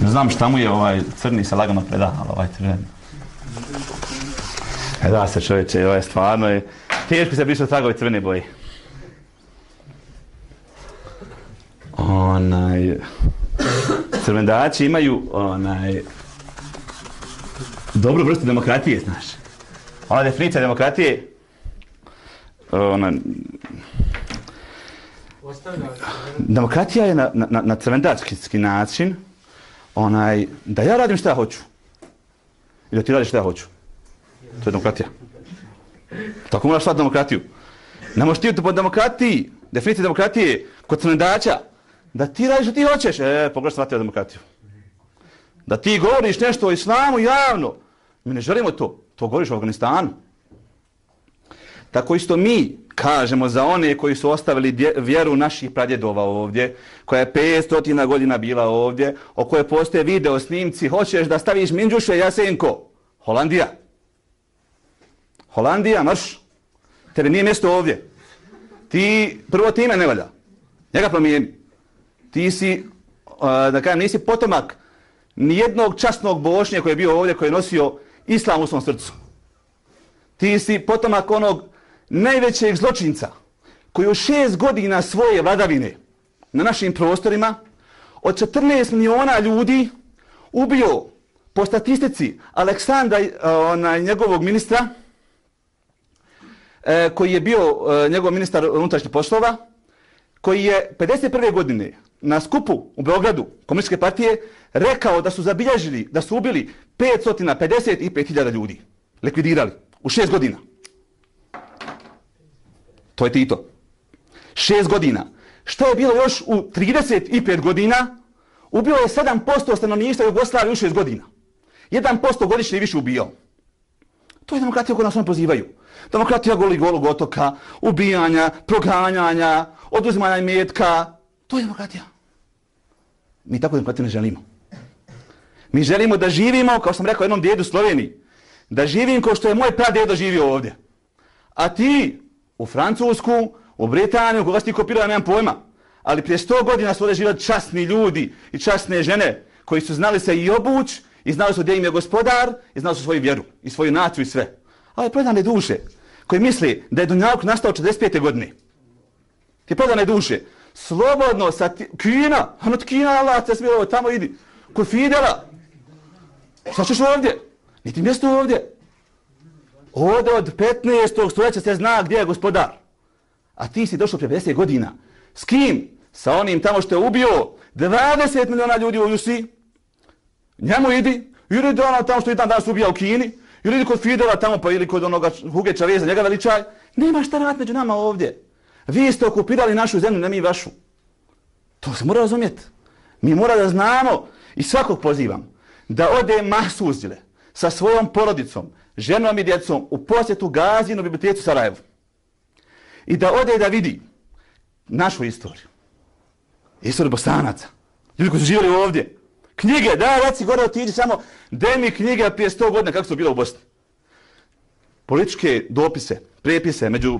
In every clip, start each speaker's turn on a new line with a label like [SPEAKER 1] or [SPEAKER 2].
[SPEAKER 1] Ne znam šta mu je crni se lagano preda, ali crveni. Da se čovječe, stvarno je teško se briše tragovi crvene boje. Crvendači imaju dobru vrstu demokratije, znaš. Ona definicija demokratije demokratija je na crvendački način da ja radim šta ja hoću i da ti radiš šta ja hoću. To je demokratija. Tako moraš shvatiti demokratiju. Ne možeš ti po demokratiji, definicija demokratije kod crvendača, da ti radiš što ti hoćeš. Pogledaj shvatio demokratiju. Da ti govoriš nešto o islamu javno. Mi ne želimo to. To govoriš u Afganistanu. Tako isto mi kažemo za one koji su ostavili vjeru naših pradjedova ovdje, koja je 500 godina bila ovdje, o kojoj postoje video snimci, hoćeš da staviš Minđuše Jasenko. Holandija. Holandija, marš. Tebe nije mjesto ovdje. Prvo ti ime ne valja. Njega promijeni. Ti si, da kažem, nisi potomak nijednog časnog bošnje koji je bio ovdje, koji je nosio islam u svom srcu. Ti si potomak onog najvećeg zločinca koji u 6 godina svoje vladavine na našim prostorima od 14 miliona ljudi ubio po statistici Aleksandra, njegovog ministra, koji je bio njegov ministar unutrašnjih poslova, koji je 51. godine na skupu u Beogradu Komunističke partije rekao da su zabilježili, da su ubili 555.000 ljudi. Likvidirali u 6 godina. To je Tito. 6 godina. Što je bilo još u 35 godina? Ubio je 7% stanovništva Jugoslavije u 6 godina. 1% godišnje više ubijao. To je demokratija koju nas oni pozivaju. Demokratija golog otoka, ubijanja, proganjanja, oduzimanja imetka. To je demokratija. Mi tako demokratiju ne želimo. Mi želimo da živimo, kao sam rekao jednom djedu u Sloveniji, da živim kao što je moj pradedo živio ovdje. A ti u Francusku, u Britaniju, koga si ti kopirao, nemam pojma. Ali prije 100 godina su ovdje živjeli časni ljudi i časne žene koji su znali se i obuć, i znali su gdje im je gospodar, i znali su svoju vjeru, i svoju naciju i sve. Ali predane duše koji misli da je Dunjaluk nastao 45. godine. Ti predane duše. Slobodno sa Kina, od Kina Allah te smilo, tamo idi. Kod Fidela. Šta ćeš ovdje? Niti mjesto ovdje. Ovdje od 15. stoljeća se zna gdje je gospodar. A ti si došao prije 50 godina. S kim? Sa onim tamo što je ubio 20 miliona ljudi u Rusiji. Njemu idi. Ili do ono tamo što je danas ubija u Kini. Ili kod Fidela tamo pa ili kod onoga Huge Čaveza, njega veličaj. Nema šta rad među nama ovdje. Vi ste okupirali našu zemlju, ne mi vašu. To se mora razumjeti. Mi mora da znamo i svakog pozivam da ode Mahsuzile sa svojom porodicom, ženom i djecom u posjetu Gazinu biblioteku Sarajevu. I da ode da vidi našu istoriju. Istoriju Bosanaca. Ljudi koji su živjeli ovdje. Knjige, da, reci gore otiđi samo, daj mi knjige prije 100 godina kako su bilo u Bosni. Političke dopise, prepise među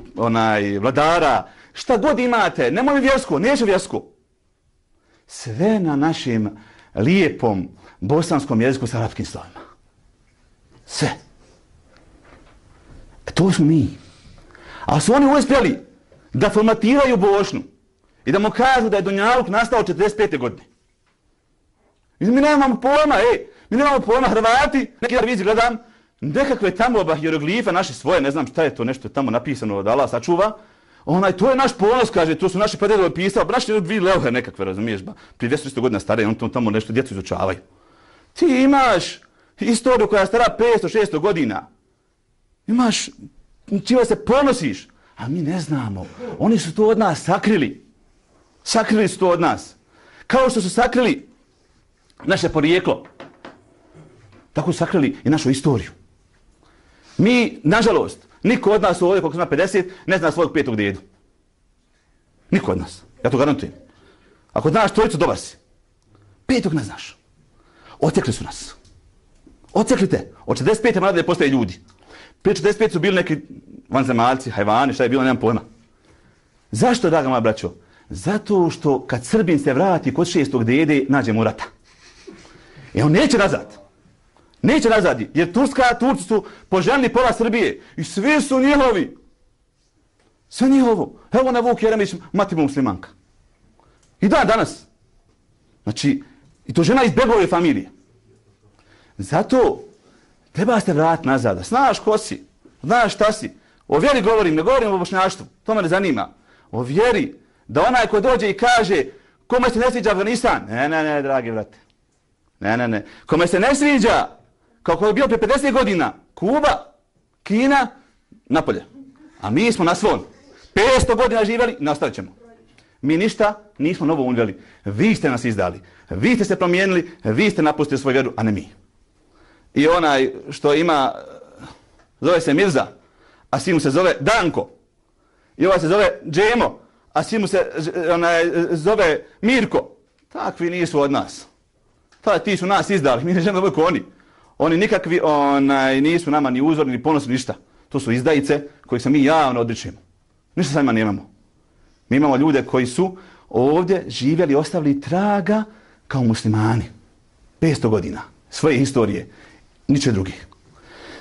[SPEAKER 1] vladara, šta god imate, nemoj vjersku, neće vjersku. Sve na našem lijepom bosanskom jeziku s arapskim slovima. Sve. To smo mi. A su oni uspjeli da formatiraju Bošnju i da mu kažu da je Dunjaluk nastao 45. godine. Mi nemamo pojma, mi nemamo pojma, Hrvati, neki televiziji gledam, nekakve tamo hieroglife naše svoje, ne znam šta je to, nešto je tamo napisano da Allah sačuva. To je naš ponos, kaže, to su naši prededovi pisali, naši dvije leuhe nekakve, razumiješ, prije 200 godina stare, on tamo nešto djecu izučavaju. Ti imaš istoriju koja je stara 500-600 godina. Imaš, čime se ponosiš, a mi ne znamo. Oni su to od nas sakrili. Sakrili su to od nas. Kao što su sakrili naše porijeklo. Tako su sakrili i našu istoriju. Mi, nažalost, niko od nas ovdje, koliko ima 50, ne zna svojeg 5. dedu. Niko od nas. Ja to garantujem. Ako znaš trojicu, dobar si. 5. ne znaš. Ocekli su nas. Ocekli te. Od 45. mlade postaje ljudi. Prije 45 su bili neki vanzemaljci, hajvani, šta je bilo, nemam pojma. Zašto, draga moja braćo? Zato što kad Srbin se vrati kod 6. dede, nađe mu rata. On neće nazad. Neće nazad, jer Turci su poželjni pola Srbije i svi su njihovi. Sve njihovo. Evo na Vuk Jeremić, mati mu muslimanka. I danas. Znači, i to žena iz Begove familije. Zato treba se vratiti nazad. Znaš ko si, znaš šta si. O vjeri govorim, ne govorim o bošnjaštvu. To me ne zanima. O vjeri, da onaj ko dođe i kaže kome se ne sviđa Afganistan. Ne, dragi brate. Ne. Kome se ne sviđa, kako je bilo prije 50 godina, Kuba, Kina, napolje. A mi smo na svom. 500 godina živjeli, nastavit ćemo. Mi ništa nismo novo unveli. Vi ste nas izdali. Vi ste se promijenili, vi ste napustili svoju vjeru, a ne mi. I onaj što ima, zove se Mirza, a sin mu se zove Danko. I ovaj se zove Džemo, a sin mu se zove Mirko. Takvi nisu od nas. Ti su nas izdali, mi ne želimo da budu oni. Oni nikakvi nisu nama ni uzorni, ni ponosni, ništa. To su izdajice kojih se mi javno odričemo. Ništa sa njima nemamo. Mi imamo ljude koji su ovdje živjeli, ostavili traga kao muslimani. 500 godina svoje historije, niče drugih.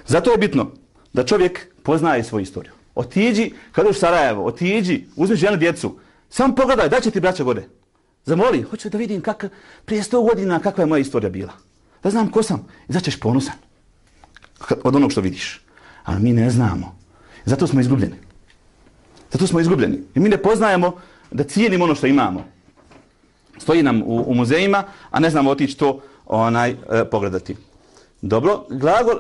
[SPEAKER 1] Zato je bitno da čovjek poznaje svoju istoriju. Otiđi, kada u Sarajevo, otiđi, uzmi ženu, djecu, samo pogledaj, da će ti braća gore. Zamoli, hoću da vidim prije 100 godina kakva je moja istorija bila. Da znam ko sam. I zato ćeš ponosan od onog što vidiš. Ali mi ne znamo. Zato smo izgubljeni. I mi ne poznajemo da cijenimo ono što imamo. Stoji nam u muzejima, a ne znamo otići to pogledati. Dobro, glagol